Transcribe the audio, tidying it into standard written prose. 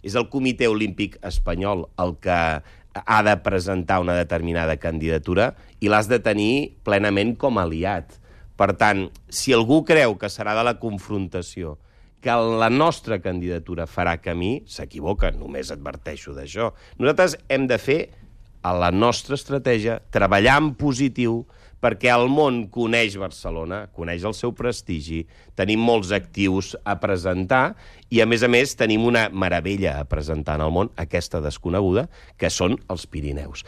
és el Comitè Olímpic Espanyol el que ha de presentar una determinada candidatura i l'has de tenir plenament com a aliat. Per tant, si algú creu que serà de la confrontació, que la nostra candidatura farà camí, s'equivoca, només adverteixo d'això. Nosaltres hem de fer a la nostra estratègia, treballar en positiu, perquè el món coneix Barcelona, coneix el seu prestigi, tenim molts actius a presentar i, a més, tenim una meravella a presentar en el món, aquesta desconeguda, que són els Pirineus.